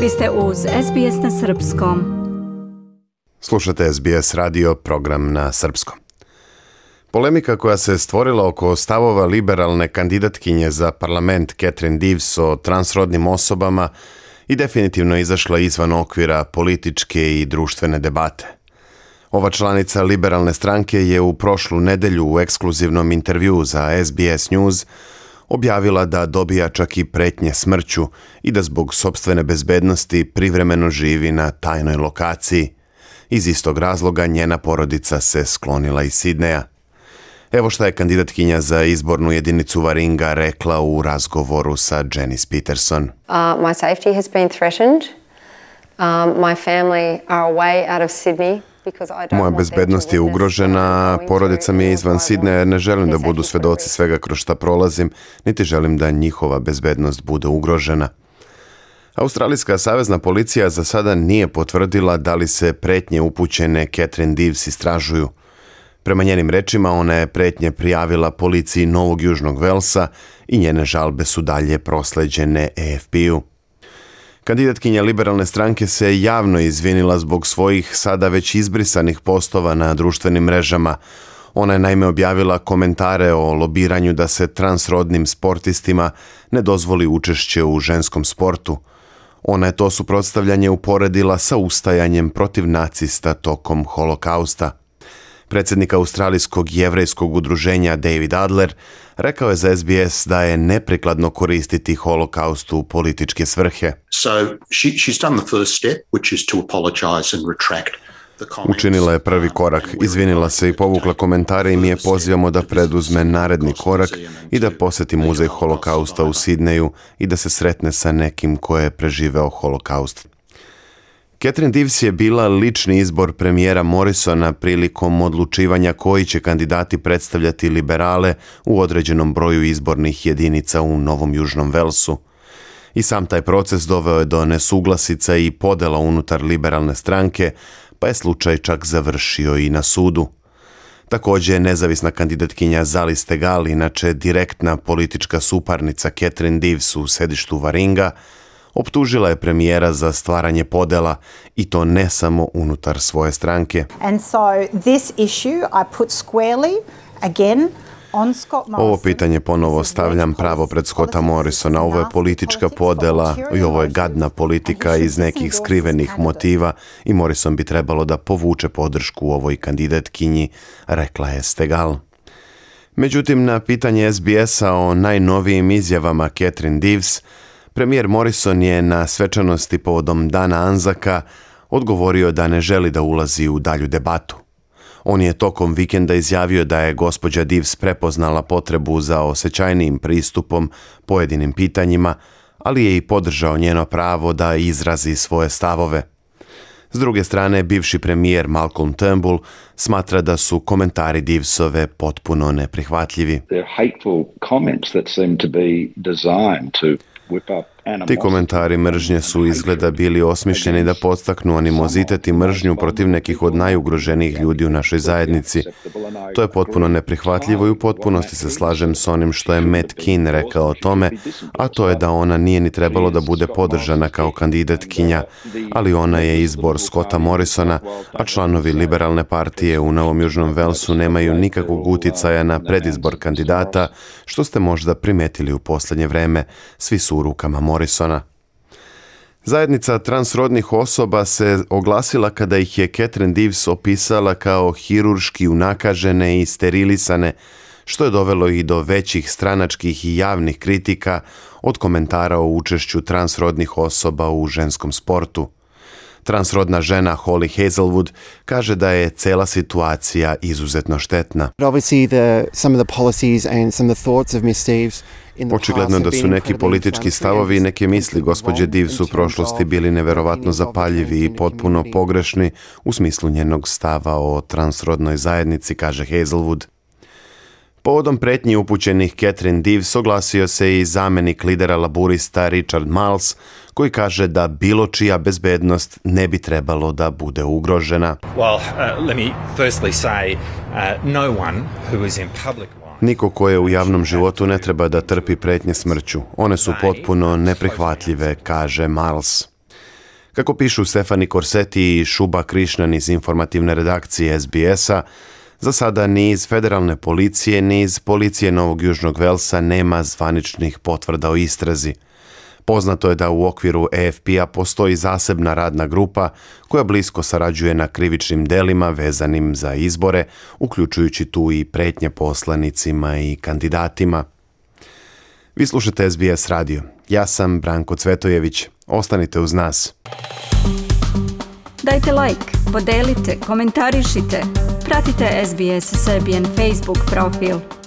Vi ste uz SBS na Srpskom. Slušate SBS radio, program na srpskom. Polemika koja se stvorila oko stavova liberalne kandidatkinje za parlament Catherine Deves o transrodnim osobama i definitivno izašla izvan okvira političke i društvene debate. Ova članica liberalne stranke je u prošlu nedelju u ekskluzivnom intervjuu za SBS News objavila da dobija čak i pretnje smrću i da zbog sopstvene bezbednosti privremeno živi na tajnoj lokaciji. Iz istog razloga njena porodica se sklonila iz Sidneja. Evo šta je kandidatkinja za izbornu jedinicu Warringa rekla u razgovoru sa Janice Peterson. My safety has been threatened. My family are away out of Sydney. Moja bezbednost je ugrožena, porodica mi je izvan Sidneja jer ne želim da budu svedoci svega kroz šta prolazim, niti želim da njihova bezbednost bude ugrožena. Australijska savezna policija za sada nije potvrdila da li se pretnje upućene Catherine Deves istražuju. Prema njenim rečima, ona je pretnje prijavila policiji Novog Južnog Velsa i njene žalbe su dalje prosleđene AFP-u. Kandidatkinja liberalne stranke se javno izvinila zbog svojih sada već izbrisanih postova na društvenim mrežama. Ona je naime objavila komentare o lobiranju da se transrodnim sportistima ne dozvoli učešće u ženskom sportu. Ona je to suprotstavljanje uporedila sa ustajanjem protiv nacista tokom holokausta. Predsjednik Australijskog jevrejskog udruženja David Adler rekao je za SBS da je neprikladno koristiti holokaust u političke svrhe. Učinila je prvi korak, izvinila se i povukla komentare i mi je pozivamo da preduzme naredni korak i da posjeti muzej holokausta u Sidneju i da se sretne sa nekim ko je preživeo holokaust. Catherine Deves je bila lični izbor premijera Morrisona prilikom odlučivanja koji će kandidati predstavljati liberale u određenom broju izbornih jedinica u Novom Južnom Velsu. I sam taj proces doveo je do nesuglasica i podela unutar liberalne stranke, pa je slučaj čak završio i na sudu. Također, nezavisna kandidatkinja Zali Steggall, inače direktna politička suparnica Catherine Deves u sedištu Warringa, optužila je premijera za stvaranje podela i to ne samo unutar svoje stranke. Ovo pitanje ponovo stavljam pravo pred Scotta Morrisona. Ovo je politička podela i ovo je gadna politika iz nekih skrivenih motiva i Morrison bi trebalo da povuče podršku ovoj kandidatkinji, rekla je Steggall. Međutim, na pitanje SBS-a o najnovijim izjavama Catherine Deves, premijer Morrison je na svečanosti povodom Dana Anzaka odgovorio da ne želi da ulazi u dalju debatu. On je tokom vikenda izjavio da je gospođa Deves prepoznala potrebu za osjećajnijim pristupom pojedinim pitanjima, ali je i podržao njeno pravo da izrazi svoje stavove. S druge strane, bivši premijer Malcolm Turnbull smatra da su komentari Devesove potpuno neprihvatljivi. Ti komentari mržnje su izgleda bili osmišljeni da podstaknu animozitet i mržnju protiv nekih od najugroženijih ljudi u našoj zajednici. To je potpuno neprihvatljivo i u potpunosti se slažem s onim što je Matt Kean rekao o tome, a to je da ona nije ni trebalo da bude podržana kao kandidatkinja, ali ona je izbor Scotta Morrisona, a članovi liberalne partije u Novom Južnom Velsu nemaju nikakvog uticaja na predizbor kandidata, što ste možda primetili u posljednje vreme. Svi su u rukama Morrisona. Zajednica transrodnih osoba se oglasila kada ih je Catherine Deves opisala kao hirurški unakažene i sterilisane, što je dovelo i do većih stranačkih i javnih kritika od komentara o učešću transrodnih osoba u ženskom sportu. Transrodna žena Holly Hazelwood kaže da je cela situacija izuzetno štetna. Očigledno da su neki politički stavovi i neke misli gospođe Deves u prošlosti bili neverovatno zapaljivi i potpuno pogrešni u smislu njenog stava o transrodnoj zajednici, kaže Hazelwood. Povodom pretnji upućenih Catherine Deves oglasio se i zamjenik lidera laburista Richard Marles, koji kaže da bilo čija bezbednost ne bi trebalo da bude ugrožena. Niko ko je u javnom životu ne treba da trpi pretnje smrću. One su potpuno neprihvatljive, kaže Marles. Kako pišu Stefani Korseti i Šuba Krišnan iz informativne redakcije SBS-a, za sada ni iz federalne policije, ni iz policije Novog Južnog Velsa nema zvaničnih potvrda o istrazi. Poznato je da u okviru AFP-a postoji zasebna radna grupa koja blisko sarađuje na krivičnim delima vezanim za izbore, uključujući tu i pretnje poslanicima i kandidatima. Vi slušate SBS radio. Ja sam Branko Cvetojević. Ostanite uz nas. Dajte like, podelite, komentarišite. Pratite SBS Serbian Facebook profil.